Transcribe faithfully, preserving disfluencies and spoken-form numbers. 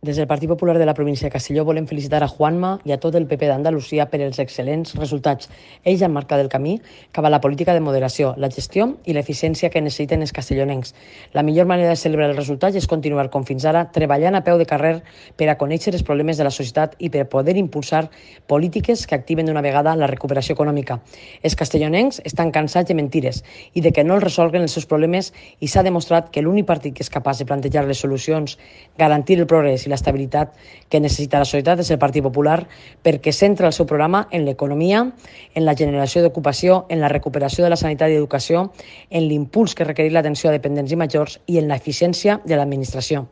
Des del Partit Popular de la província de Castelló volem felicitar a Juanma i a tot el P P d'Andalusia per els excel·lents resultats. Ells han marcat el camí cap a la política de moderació, la gestió i l'eficiència que necessiten els castellonencs. La millor manera de celebrar els resultats és continuar, com fins ara, treballant a peu de carrer per a conèixer els problemes de la societat i per poder impulsar polítiques que activen d'una vegada la recuperació econòmica. Els castellonencs estan cansats de mentires i de que no els resolguen els seus problemes i s'ha demostrat que l'únic partit que és capaç de plantejar les solucions, garantir el progrés i l'estabilitat que necessita la societat és el Partit Popular, perquè centra el seu programa en l'economia, en la generació d'ocupació, en la recuperació de la sanitat i educació, en l'impuls que requereix l'atenció a dependents i majors i en l'eficiència de l'administració.